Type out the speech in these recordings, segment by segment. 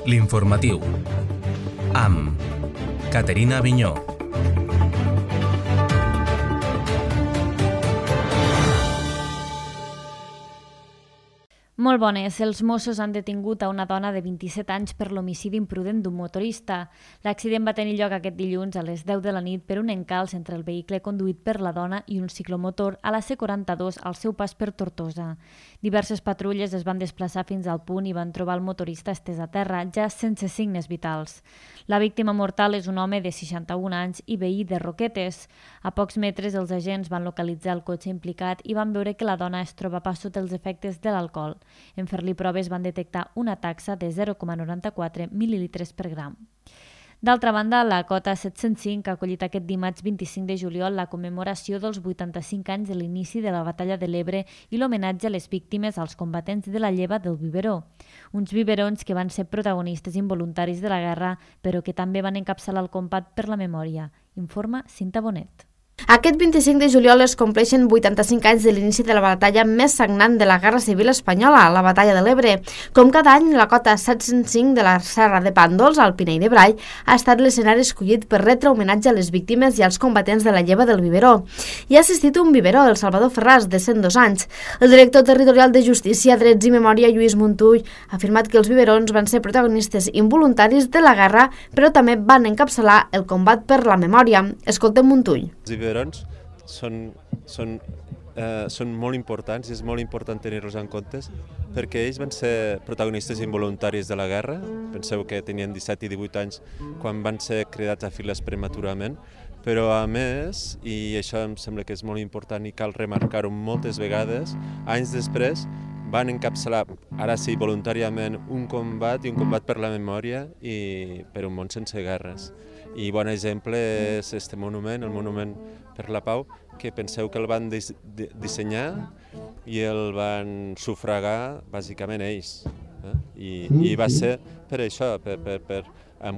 L'informatiu, amb Caterina Avinyó. Molt bones. Els Mossos han detingut a una dona de 27 anys per l'homicidi imprudent d'un motorista. L'accident va tenir lloc aquest dilluns a les 10 de la nit per un encalç entre el vehicle conduït per la dona i un ciclomotor a la C42 al seu pas per Tortosa. Diverses patrulles es van desplaçar fins al punt i van trobar el motorista estès a terra, ja sense signes vitals. La víctima mortal és un home de 61 anys i veí de Roquetes. A pocs metres els agents van localitzar el cotxe implicat i van veure que la dona es trobava sota els efectes de l'alcohol. En fer-li proves van detectar una taxa de 0,94 mil·lilitres per gram. D'altra banda, la Cota 705 ha acollit aquest dimarts 25 de juliol la commemoració dels 85 anys de l'inici de la Batalla de l'Ebre i l'homenatge a les víctimes als combatents de la lleva del Biberó. Uns biberons que van ser protagonistes involuntaris de la guerra, però que també van encapçalar el combat per la memòria. Informa Cinta Bonet. Aquest 25 de juliol es compleixen 85 anys de l'inici de la batalla més sagnant de la Guerra Civil Espanyola, la Batalla de l'Ebre. Com cada any, la Cota 705 de la Serra de Pàndols, al Pinell de Brai, ha estat l'escenari escollit per retre homenatge a les víctimes i als combatents de la lleva del Biberó. Hi ha assistit un biberó, el Salvador Ferràs, de 102 anys. El director territorial de Justícia, Drets i Memòria, Lluís Montull, ha afirmat que els biberons van ser protagonistes involuntaris de la guerra, però també van encapçalar el combat per la memòria. Escoltem Montull. Els biberons són molt importants i és molt important tenir-los en compte perquè ells van ser protagonistes involuntaris de la guerra. Penseu que tenien 17 i 18 anys quan van ser cridats a files prematurament, però a més, i això em sembla que és molt important i cal remarcar-ho moltes vegades, anys després van encapçalar, ara sí, voluntàriament, un combat per la memòria i per un món sense guerres. I bon exemple és aquest monument, el Monument per la Pau, que penseu que el van dissenyar i el van sufragar bàsicament ells. I va ser per això,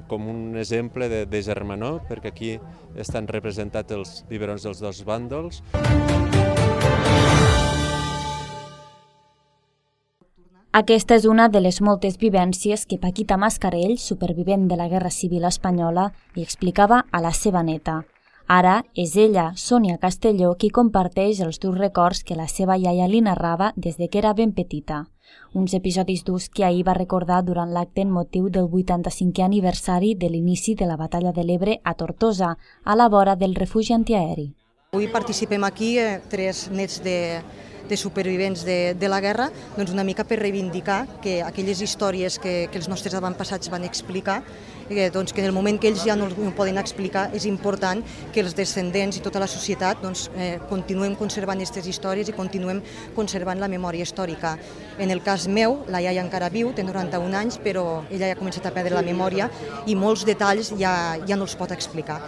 com un exemple de germanor, perquè aquí estan representats els biberons dels dos bàndols. Aquesta és una de les moltes vivències que Paquita Mascarell, supervivent de la Guerra Civil Espanyola, li explicava a la seva neta. Ara és ella, Sònia Castelló, qui comparteix els durs records que la seva iaia li narrava des que era ben petita. Uns episodis durs que ahir va recordar durant l'acte en motiu del 85è aniversari de l'inici de la Batalla de l'Ebre a Tortosa, a la vora del refugi antiaeri. Avui participem aquí, tres nets de supervivents de la guerra, doncs una mica per reivindicar que aquelles històries que els nostres avantpassats van explicar, doncs que en el moment que ells ja no ho poden explicar, és important que els descendents i tota la societat continuem conservant aquestes històries i continuem conservant la memòria històrica. En el cas meu, la iaia encara viu, té 91 anys, però ella ja ha començat a perdre la memòria i molts detalls ja no els pot explicar.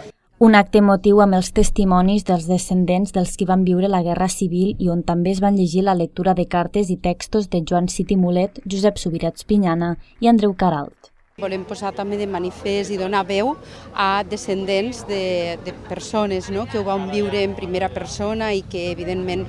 Un acte emotiu amb els testimonis dels descendents dels qui van viure la Guerra Civil i on també es van llegir la lectura de cartes i textos de Joan City Mulet, Josep Subirats Pinyana i Andreu Caralt. Volem posar també de manifest i donar veu a descendents de persones que ho van viure en primera persona i que evidentment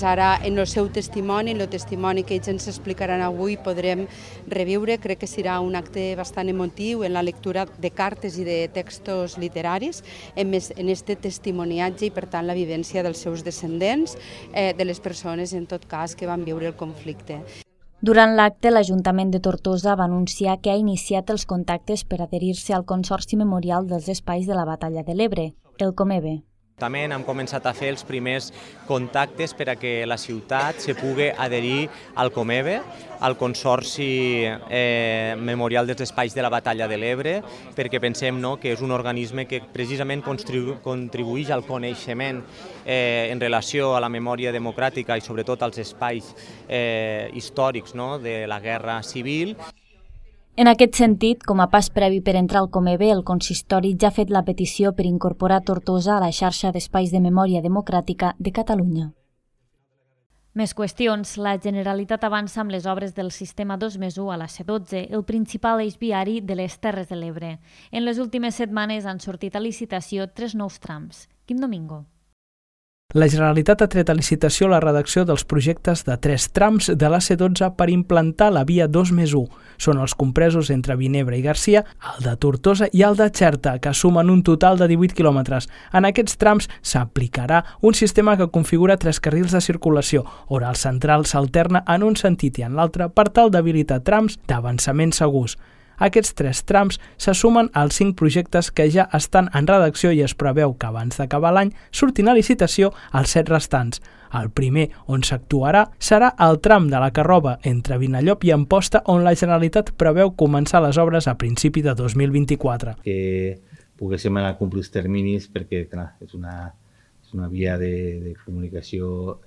ara en el seu testimoni, en el testimoni que ells ens explicaran avui, podrem reviure. Crec que serà un acte bastant emotiu en la lectura de cartes i de textos literaris, en aquest testimoniatge i per tant la vivència dels seus descendents, de les persones en tot cas que van viure el conflicte. Durant l'acte, l'Ajuntament de Tortosa va anunciar que ha iniciat els contactes per adherir-se al Consorci Memorial dels Espais de la Batalla de l'Ebre, el Comebe. També hem començat a fer els primers contactes per a que la ciutat se pugui adherir al Comebe, al Consorci Memorial dels Espais de la Batalla de l'Ebre, perquè pensem que és un organisme que precisament contribueix al coneixement en relació a la memòria democràtica i sobretot als espais històrics de la Guerra Civil. En aquest sentit, com a pas previ per entrar al Comebe, el consistori ja ha fet la petició per incorporar Tortosa a la xarxa d'espais de memòria democràtica de Catalunya. Més qüestions. La Generalitat avança amb les obres del sistema 2+1 a la C12, el principal eix viari de les Terres de l'Ebre. En les últimes setmanes han sortit a licitació 3 nous trams. Quim Domingo. La Generalitat ha tret a licitació la redacció dels projectes de 3 trams de la C12 per implantar la via 2+1. Són els compresos entre Vinebre i Garcia, el de Tortosa i el de Xerta, que sumen un total de 18 quilòmetres. En aquests trams s'aplicarà un sistema que configura 3 carrils de circulació, on el central s'alterna en un sentit i en l'altre per tal d'habilitar trams d'avançament segurs. Aquests 3 trams se sumen als 5 projectes que ja estan en redacció i es preveu que abans d'acabar l'any surtin a licitació els 7 restants. El primer on s'actuarà serà el tram de la Carrova entre Vinallop i Amposta, on la Generalitat preveu començar les obres a principi de 2024. Que poguéssim anar a complir els terminis perquè clar, és una via de comunicació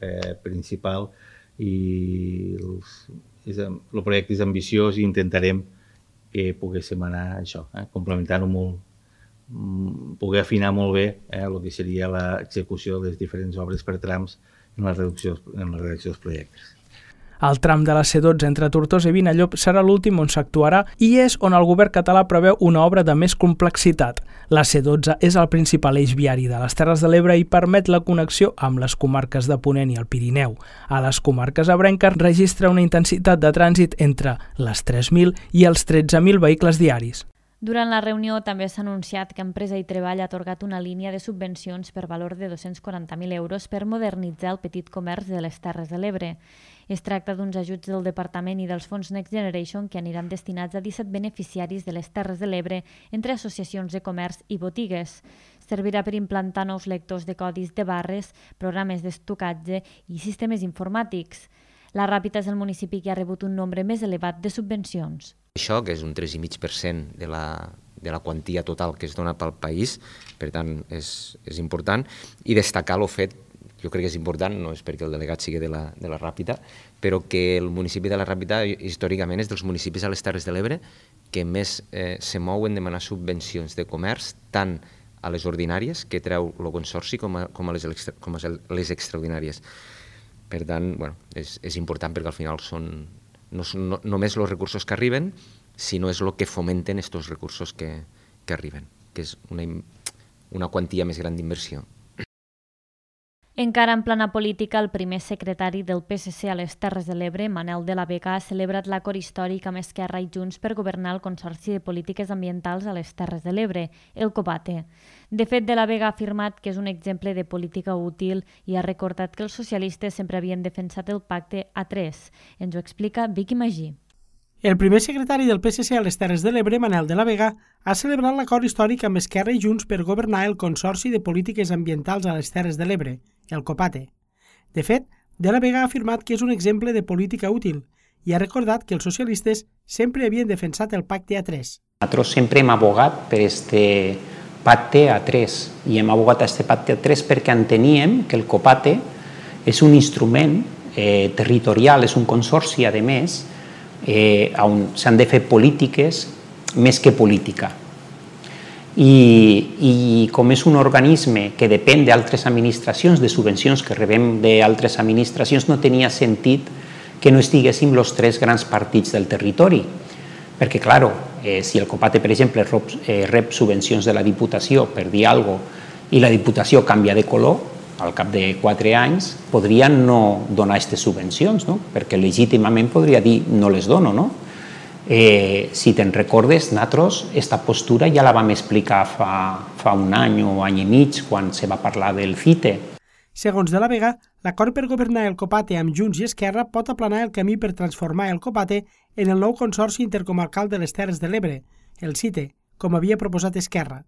principal i el projecte és ambiciós i intentarem que poguéssim anar complementant-ho molt, poder afinar molt bé el que seria l'execució de les diferents obres per trams en la redacció dels projectes. El tram de la C12 entre Tortosa i Vinallop serà l'últim on s'actuarà i és on el govern català preveu una obra de més complexitat. La C12 és el principal eix viari de les Terres de l'Ebre i permet la connexió amb les comarques de Ponent i el Pirineu. A les comarques ebrenques registra una intensitat de trànsit entre les 3.000 i els 13.000 vehicles diaris. Durant la reunió també s'ha anunciat que Empresa i Treball ha atorgat una línia de subvencions per valor de 240.000 euros per modernitzar el petit comerç de les Terres de l'Ebre. Es tracta d'uns ajuts del Departament i dels fons Next Generation que aniran destinats a 17 beneficiaris de les Terres de l'Ebre entre associacions de comerç i botigues. Servirà per implantar nous lectors de codis de barres, programes d'estocat i sistemes informàtics. La Ràpita és el municipi que ha rebut un nombre més elevat de subvencions. Això, que és un 3,5% de la quantia total que es dona pel país, per tant és important, i destacar el fet, jo crec que és important, no és perquè el delegat sigui de la Ràpita, però que el municipi de la Ràpita històricament és dels municipis a les Terres de l'Ebre que més se mouen en demanar subvencions de comerç, tant a les ordinàries que treu el Consorci com a les extraordinàries. Per tant, és important perquè al final són no només els recursos que arriben, sinó és el que fomenten aquests recursos que arriben, que és una quantia més gran d'inversió. Encara en plana política, el primer secretari del PSC a les Terres de l'Ebre, Manel de la Vega, ha celebrat l'acord històric amb Esquerra i Junts per governar el Consorci de Polítiques Ambientals a les Terres de l'Ebre, el COPATE. De fet, de la Vega ha afirmat que és un exemple de política útil i ha recordat que els socialistes sempre havien defensat el pacte A3. Ens ho explica Vicky Magí. El primer secretari del PSC a les Terres de l'Ebre, Manel de la Vega, ha celebrat l'acord històric amb Esquerra i Junts per governar el Consorci de Polítiques Ambientals a les Terres de l'Ebre, el COPATE. De fet, de la Vega ha afirmat que és un exemple de política útil i ha recordat que els socialistes sempre havien defensat el pacte A3. Nosaltres sempre hem abogat per este pacte A3 i hem abogat a este pacte A3 perquè enteníem que el COPATE és un instrument territorial, és un consorci, a més, on s'han de fer polítiques més que política. I com és un organisme que depèn d'altres administracions, de subvencions que rebem d'altres administracions, no tenia sentit que no estiguéssim els 3 grans partits del territori. Perquè, clar, si el COPATE, per exemple, rep subvencions de la Diputació, per dir alguna cosa, i la Diputació canvia de color, al cap de 4 anys, podria no donar aquestes subvencions, no? Perquè legítimament podria dir no les dono, no? Si te'n recordes, nosaltres aquesta postura ja la vam explicar fa un any o any i mig, quan se va parlar del CITE. Segons de la Vega, l'acord per governar el COPATE amb Junts i Esquerra pot aplanar el camí per transformar el COPATE en el nou Consorci Intercomarcal de les Terres de l'Ebre, el CITE, com havia proposat Esquerra.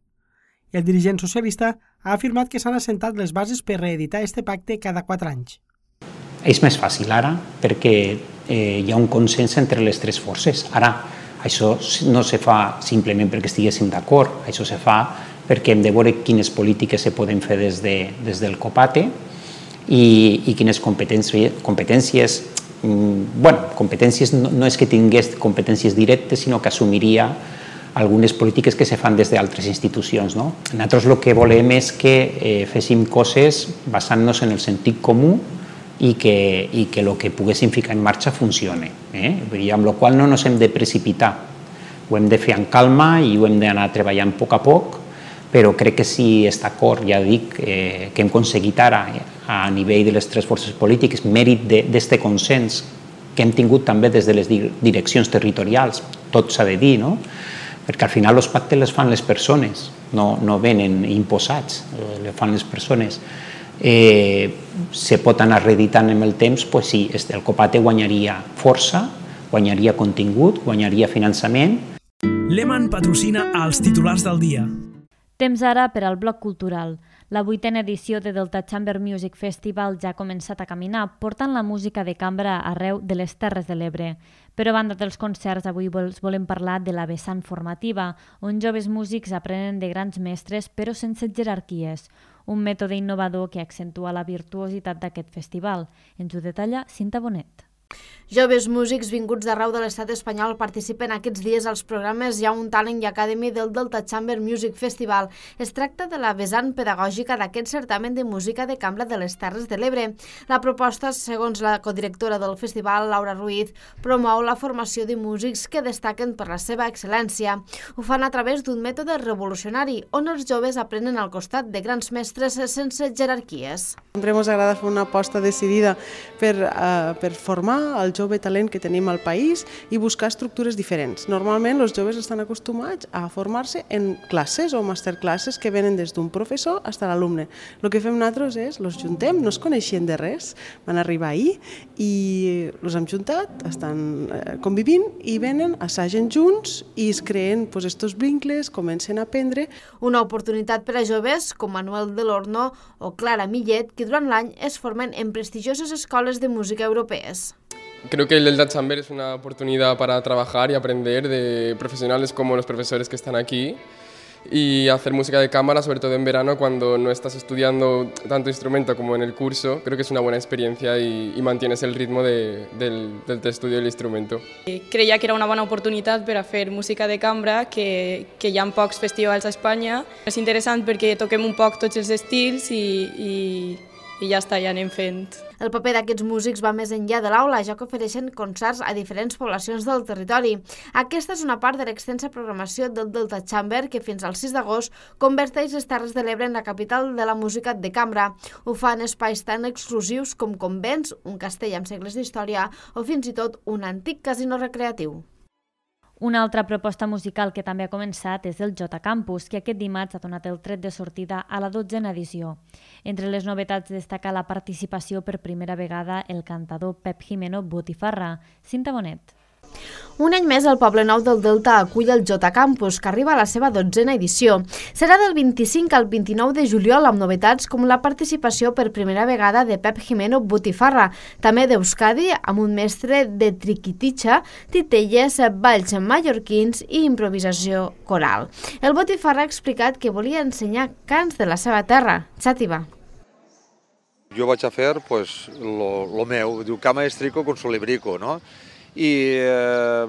El dirigent socialista ha afirmat que s'han assentat les bases per reeditar este pacte cada 4 anys. És més fàcil ara perquè hi ha un consens entre les 3 forces. Ara, això no se fa simplement perquè estiguéssim d'acord, això se fa perquè hem de veure quines polítiques se poden fer des del COPATE i quines competències. Competències no és que tingués competències directes, sinó que assumiria algunes polítiques que se fan des d'altres institucions. Nosaltres el que volem és que féssim coses basant-nos en el sentit comú i que el que poguéssim ficar en marxa funcione. Amb la qual no ens hem de precipitar. Ho hem de fer amb calma i ho hem d'anar treballant a poc, però crec que si està d'acord, ja dic, que hem aconseguit ara a nivell de les tres forces polítiques, mèrit d'aquest consens que hem tingut també des de les direccions territorials, tot s'ha de dir, no? Perquè al final els pactes les fan les persones, no venen imposats, les fan les persones. Se pot anar reeditant amb el temps, doncs sí, el Copate guanyaria força, guanyaria contingut, guanyaria finançament. Lehmann patrocina els titulars del dia. Temps ara per al bloc cultural. La 8a edició de Delta Chamber Music Festival ja ha començat a caminar, portant la música de cambra arreu de les Terres de l'Ebre. Però a banda dels concerts, avui volem parlar de la vessant formativa, on joves músics aprenen de grans mestres, però sense jerarquies. Un mètode innovador que accentua la virtuositat d'aquest festival. Ens ho detalla Cinta Bonet. Joves músics vinguts d'arreu de l'estat espanyol participen aquests dies als programes Young Talent Academy del Delta Chamber Music Festival. Es tracta de la vessant pedagògica d'aquest certamen de música de cambra de les Terres de l'Ebre. La proposta, segons la codirectora del festival, Laura Ruiz, promou la formació de músics que destaquen per la seva excel·lència. Ho fan a través d'un mètode revolucionari, on els joves aprenen al costat de grans mestres sense jerarquies. Sempre ens agrada fer una aposta decidida per formar el jove talent que tenim al país i buscar estructures diferents. Normalment els joves estan acostumats a formar-se en classes o masterclasses que venen des d'un professor fins a l'alumne. El que fem nosaltres és, els juntem, no es coneixien de res, van arribar ahir i els hem juntat, estan convivint i venen, assagen junts i es creen estos vincles, comencen a aprendre. Una oportunitat per a joves com Manuel Delorno o Clara Millet, que durant l'any es formen en prestigioses escoles de música europees. Creo que el Delta Chamber es una oportunidad para trabajar y aprender de profesionales como los profesores que están aquí y hacer música de cámara, sobre todo en verano cuando no estás estudiando tanto instrumento como en el curso. Creo que es una buena experiencia y mantienes el ritmo del estudio del instrumento. Creia que era una bona oportunitat per a fer música de cambra, que hi ha pocs festivals a Espanya. És interessant perquè toquem un poc tots els estils i ja està, ja anem fent. El paper d'aquests músics va més enllà de l'aula, ja que ofereixen concerts a diferents poblacions del territori. Aquesta és una part de l'extensa programació del Delta Chamber, que fins al 6 d'agost converteix les Terres de l'Ebre en la capital de la música de cambra. Ho fa en espais tan exclusius com convents, un castell amb segles d'història o fins i tot un antic casino recreatiu. Una altra proposta musical que també ha començat és el Jota Campus, que aquest dimarts ha donat el tret de sortida a la 12a edició. Entre les novetats destaca la participació per primera vegada el cantador Pep Jimeno Botifarra. Cinta Bonet. Un any més, el Poble Nou del Delta acull el Jota Campus, que arriba a la seva 12a edició. Serà del 25 al 29 de juliol amb novetats com la participació per primera vegada de Pep Jimeno Botifarra, també d'Euskadi, amb un mestre de triquititxa, titelles, balls mallorquins i improvisació coral. El Botifarra ha explicat que volia ensenyar cants de la seva terra, xàtiva. Jo vaig a fer lo meu, diu cama estrico con solibrico, no? I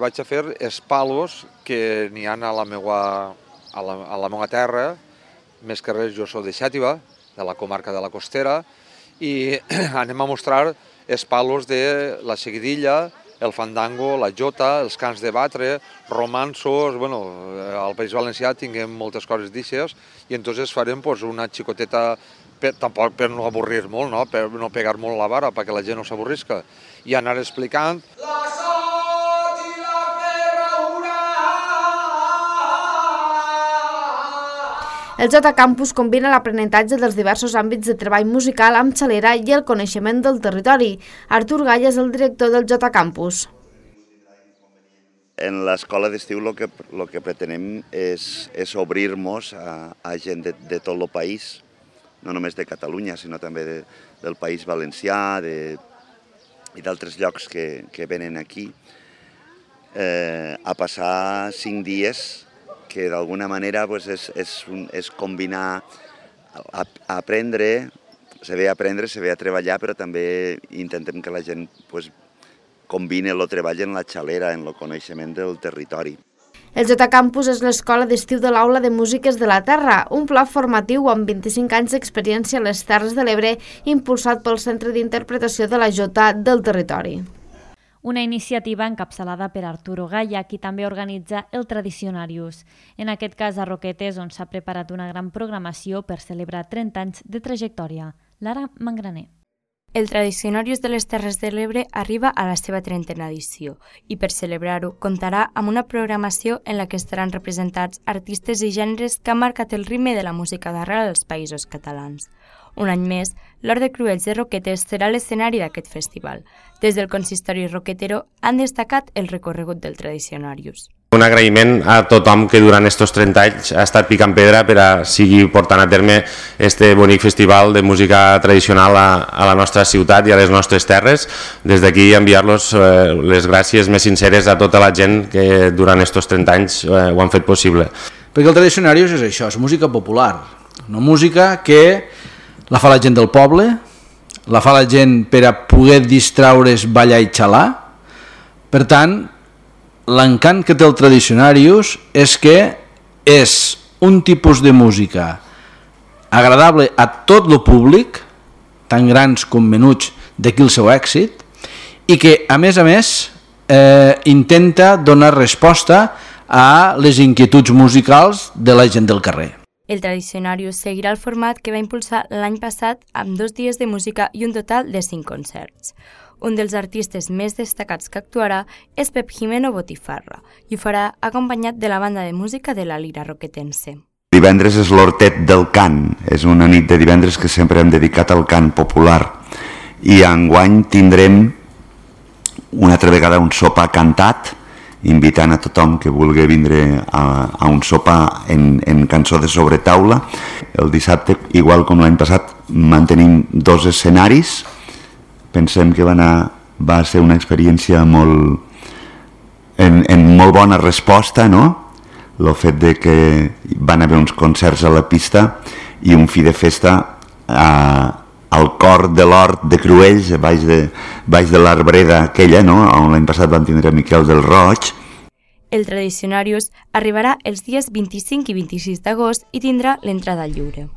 vaig a fer els palos que n'hi ha a la meva terra, més que res jo soc de Xàtiva, de la comarca de la Costera, i anem a mostrar els palos de la seguidilla, el fandango, la jota, els cants de batre, romanços, bueno, al País Valencià tinguem moltes coses d'aixes, i entonces farem una xicoteta, tampoc per no avorrir molt, no? Per no pegar molt la vara, perquè la gent no s'avorrisca, i anar explicant. El Jota Campus combina l'aprenentatge dels diversos àmbits de treball musical amb xalera i el coneixement del territori. Artur Gall és el director del Jota Campus. En l'escola d'estiu el que pretenem és obrir-nos a gent de tot el país, no només de Catalunya, sinó també del País Valencià i d'altres llocs que venen aquí, a passar 5 dies que d'alguna manera és combinar, aprendre, se ve a treballar, però també intentem que la gent combini el treball en la xalera, en el coneixement del territori. El Jota Campus és l'escola d'estiu de l'Aula de Músiques de la Terra, un pla formatiu amb 25 anys d'experiència a les Terres de l'Ebre, impulsat pel Centre d'Interpretació de la Jota del territori. una iniciativa encapçalada per Arturo Gaya, qui també organitza el Tradicionarius. En aquest cas a Roquetes, on s'ha preparat una gran programació per celebrar 30 anys de trajectòria. Lara Mangraner. El Tradicionarius de les Terres de l'Ebre arriba a la seva 30a edició i per celebrar-ho comptarà amb una programació en la que estaran representats artistes i gèneres que han marcat el ritme de la música d'arrel als Països Catalans. Un any més, l'Hort de Cruells de Roquetes serà l'escenari d'aquest festival. Des del consistori roquetero han destacat el recorregut del Tradicionarius. Un agraïment a tothom que durant aquests 30 anys ha estat picant pedra per a seguir portant a terme este bonic festival de música tradicional a la nostra ciutat i a les nostres terres. Des d'aquí enviar-los les gràcies més sinceres a tota la gent que durant aquests 30 anys ho han fet possible. Perquè el Tradicionarius és això, és música popular, una música que la fa la gent del poble, la fa la gent per a poder distraure's, ballar i xalar. Per tant, l'encant que té el Tradicionarius és que és un tipus de música agradable a tot el públic, tant grans com menuts, d'aquí el seu èxit, i que, a més, intenta donar resposta a les inquietuds musicals de la gent del carrer. El Tradicionarius seguirà el format que va impulsar l'any passat amb 2 dies de música i un total de 5 concerts. Un dels artistes més destacats que actuarà és Pep Jimeno Botifarra i ho farà acompanyat de la banda de música de la Lira Roquetense. Divendres és l'Hortet del Cant, és una nit de divendres que sempre hem dedicat al cant popular i enguany tindrem una altra vegada un sopar cantat, invitant a tothom que vulgui vindre a un sopar en cançó de sobretaula. El dissabte, igual com l'any passat, mantenim 2 escenaris. Pensem que va ser una experiència en molt bona resposta, no? El fet de que van haver uns concerts a la pista i un fi de festa al cor de l'Hort de Cruells, baix de l'arbreda aquella, no? On l'any passat vam tindre Miquel del Roig. El Tradicionarius arribarà els dies 25 i 26 d'agost i tindrà l'entrada lliure.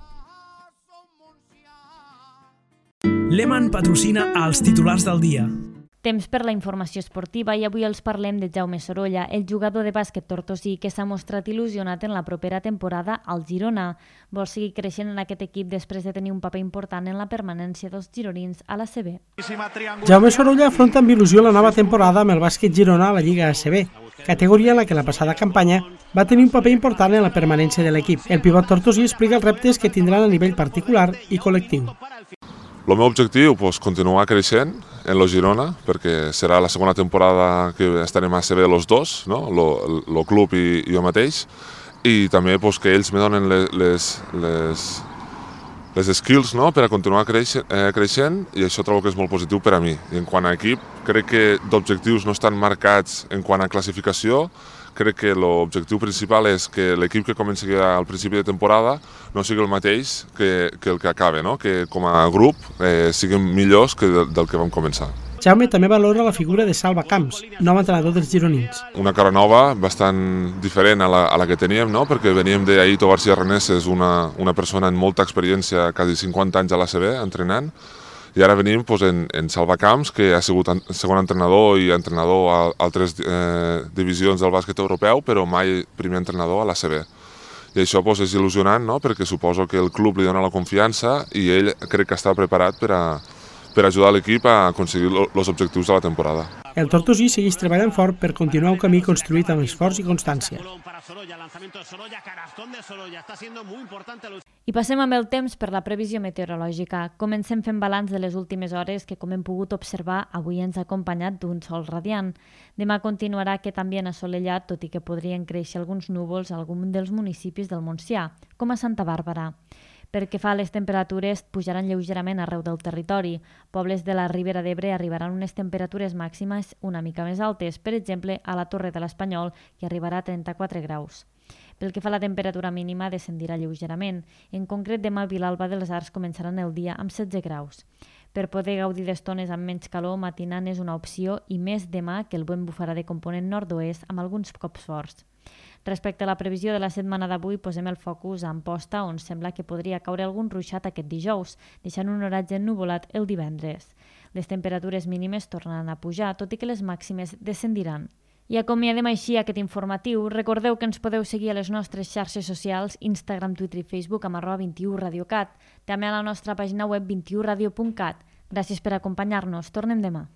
Lehmann patrocina als titulars del dia. Temps per la informació esportiva i avui els parlem de Jaume Sorolla, el jugador de bàsquet tortosí que s'ha mostrat il·lusionat en la propera temporada al Girona. Vol seguir creixent en aquest equip després de tenir un paper important en la permanència dels gironins a l'ACB. Jaume Sorolla afronta amb il·lusió la nova temporada amb el bàsquet girona a la Lliga ACB, categoria en la que la passada campanya va tenir un paper important en la permanència de l'equip. El pivot tortosí explica els reptes que tindran a nivell particular i col·lectiu. El meu objectiu és continuar creixent en el Girona, perquè serà la segona temporada que estarem a ACB els dos, no? El club i jo mateix, i també que ells me donen les skills, no? Per a continuar creixent, i això trobo que és molt positiu per a mi. I en quant a equip, crec que d'objectius no estan marcats en quant a classificació. Crec que l'objectiu principal és que l'equip que comença al principi de temporada no sigui el mateix que el que acaba, no? Que com a grup siguem millors que del que vam començar. Jaume també valora la figura de Salva Camps, nou entrenador dels gironins. Una cara nova, bastant diferent a la que teníem, no? Perquè veníem d'Aito García Reneses, una persona amb molta experiència, quasi 50 anys a l'ACB, entrenant, i ara venim en Salva Camps, que ha sigut segon entrenador i entrenador a altres divisions del bàsquet europeu, però mai primer entrenador a l'ACB. I això és il·lusionant, no? Perquè suposo que el club li dona la confiança i ell crec que està preparat per ajudar l'equip a aconseguir els objectius de la temporada. El tortosí segueix treballant fort per continuar un camí construït amb esforç i constància. I passem amb el temps per la previsió meteorològica. Comencem fent balanç de les últimes hores que, com hem pogut observar, avui ens ha acompanyat d'un sol radiant. Demà continuarà aquest ambient assolellat, tot i que podrien créixer alguns núvols a algun dels municipis del Montsià, com a Santa Bàrbara. Pel que fa a les temperatures, pujaran lleugerament arreu del territori. Pobles de la Ribera d'Ebre arribaran unes temperatures màximes una mica més altes, per exemple, a la Torre de l'Espanyol, que arribarà a 34 graus. Pel que fa a la temperatura mínima, descendirà lleugerament. En concret, demà a Vilalba dels Arcs començaran el dia amb 16 graus. Per poder gaudir d'estones amb menys calor, matinant és una opció i més demà, que el vent bufarà de component nord-oest amb alguns cops forts. Respecte a la previsió de la setmana d'avui, posem el focus a Amposta, on sembla que podria caure algun ruixat aquest dijous, deixant un horatge ennuvolat el divendres. Les temperatures mínimes tornaran a pujar, tot i que les màximes descendiran. I acomiadem així aquest informatiu. Recordeu que ens podeu seguir a les nostres xarxes socials, Instagram, Twitter i Facebook amb @21radiocat, també a la nostra pàgina web 21radio.cat. Gràcies per acompanyar-nos. Tornem demà.